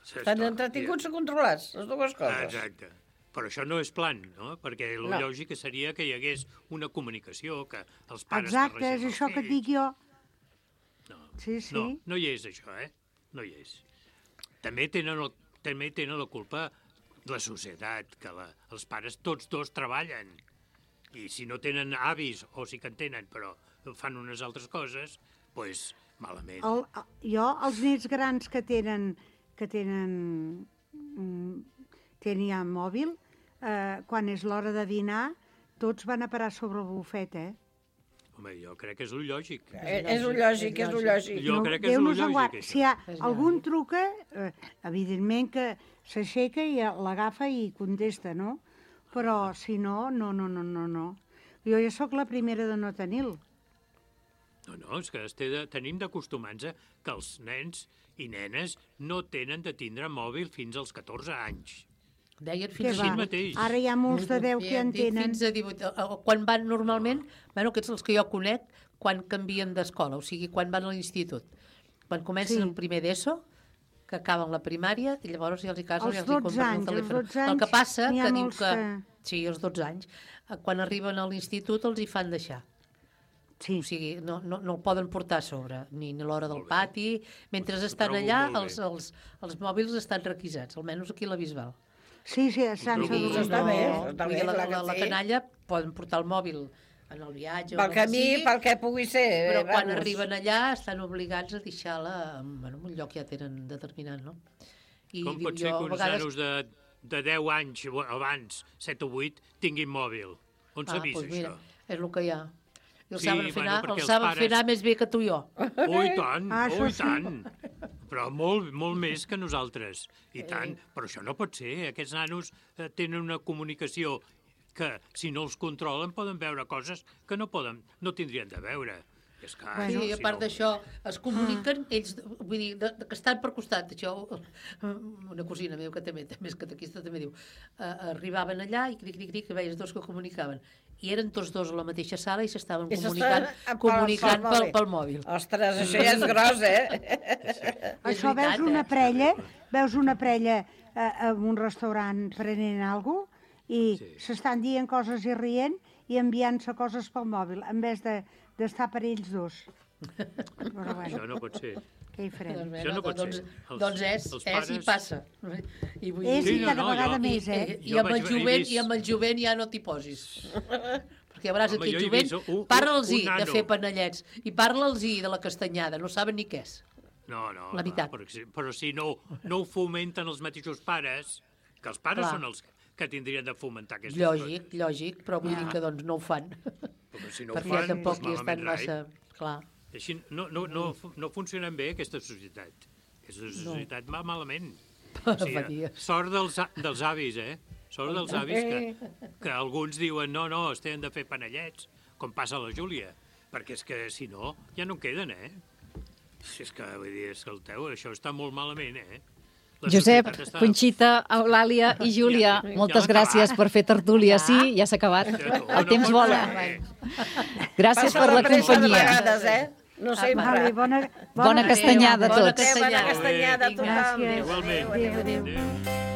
estan Esclar, entretinguts i controlats, les dues Ah, coses. exacte. Però això no és plan, no? Perquè el No. lògic seria que hi hagués una comunicació, que els pares Exacte, és parlessin això als que et fills. dic jo. No, Sí, sí. no, no hi és això, eh? No hi és. També tenen, el, també tenen la culpa la societat, que la, els pares tots dos treballen. I si no tenen avis, o sí que en tenen, però fan unes altres coses, doncs pues, malament. El, jo, els nens grans que tenen, que tenen, mm, tenen ja mòbil, eh, quan és l'hora de dinar, tots van a parar sobre el bufet, eh? Home, jo crec que és el lògic. Eh, És un lògic, és un lògic. Jo crec que és Déu el nos en guard. lògic, això. Si hi ha És algun truca, eh, evidentment que s'aixeca i l'agafa i contesta, no? Però si no, no, no, no, no, no. Jo ja sóc la primera de no tenir-lo. No, no, és que es té de, tenim d'acostumar-nos a que els nens i nenes no tenen de tindre mòbil fins als catorze anys. Deien Què fins va? a mateix. Ara hi ha molts de deu que ja en dit tenen. Fins a divuit. eh, Quan van normalment, bueno, aquests els que jo conec, quan canvien d'escola, o sigui, quan van a l'institut. Quan comencen Sí. el primer d'ESO, que acaben la primària i llavors ja els hi casen Els i els hi dotze compren el anys, els telèfon. dotze El que anys, passa n'hi ha que diu molts que... que- Sí, els dotze anys. Eh, Quan arriben a l'institut els hi fan deixar. Sí. O sigui, no, no, no el poden portar a sobre, ni, ni a l'hora del pati. Mentre estan allà, els, els, els mòbils estan requisats, almenys aquí a la Bisbal. Sí, sí, a Sant I, Sadurní. no, Està bé, està vull bé, dir, la, clar que la, la sí. canalla poden portar el mòbil en el viatge... Pel o on camí, sigui, pel que pugui ser. però eh, quan vamos. arriben allà estan obligats a deixar-la en, bueno, en un lloc que ja tenen determinat, no? I Com diu, pot ser jo, que a uns vegades- nanos de, de deu anys o abans, set o vuit, tinguin mòbil? On s'ha Ah, vist doncs mira, això? és el que hi ha. I el Sí, saben fer bueno, anar, perquè el els saben pares- fer anar més bé que tu i jo. Oh, i tant, Ah, oh, això i sí. tant. Però molt, molt més que nosaltres. I tant. Però això no pot ser. Aquests nanos eh, tenen una comunicació que, si no els controlen, poden veure coses que no poden, no tindrien de veure. És que, Sí, si a part no- d'això, es comuniquen ells, vull dir, de, de, que estan per costat. Això, una cosina meva que també, també és catequista, també diu, eh, arribaven allà i cric, cric, cric, que veies dos que comunicaven. I eren tots dos a la mateixa sala i s'estaven I comunicant, s'estan- comunicant pel- pel, pel pel mòbil. Ostres, això ja és gros, eh? Això És veritat, veus una eh? parella, veus una parella eh, en un restaurant prenent alguna cosa i s'estan dient coses i rient i enviant-se coses pel mòbil, en vez de d'estar per ells dos. Però bueno, Això no pot ser. què hi farem? Doncs, bé, Això no pot doncs, ser. Els- doncs és, els és i pares- passa. I vull És dir- i cada vegada més, eh? I, i, Jo amb el vaig- he jovent, vist- I amb el jovent ja no t'hi posis. Perquè a vegades Home, aquest jo he jovent, vist un- un- parla'ls-hi un de nano. fer panellets i parla'ls-hi de la castanyada, no saben ni què és. No, no, La veritat. Però, si- però si no, no ho fomenten els mateixos pares, que els pares Clar. són els que tindrien de fomentar aquestes Lògic, lògic, però vull Ja. dir que doncs no ho fan. Però si no ho Perquè fan, tampoc doncs hi estan malament rai. massa... Clar. Així no, no, no, no funcionen bé aquesta societat. Aquesta societat va malament. O sigui, sort dels, a- dels avis, eh? Sort dels avis que, que alguns diuen no, no, es tenen de fer panellets, com passa a la Júlia, perquè és que si no, ja no en queden, eh? Si és que, vull dir, escolteu, això està molt malament, eh? La Josep, societat està- Conxita, Eulàlia i Júlia, Ja- ja moltes l'ha gràcies acabat. per fer tertúlia. Sí, ja s'ha acabat. El temps vola. Gràcies Passa per la de pressa de companyia. vegades, eh? No sempre. Vale, bona, Bona castanyada a Bona tots. castanyada a tothom. Gràcies. Igualment. Adéu, adéu. Adéu.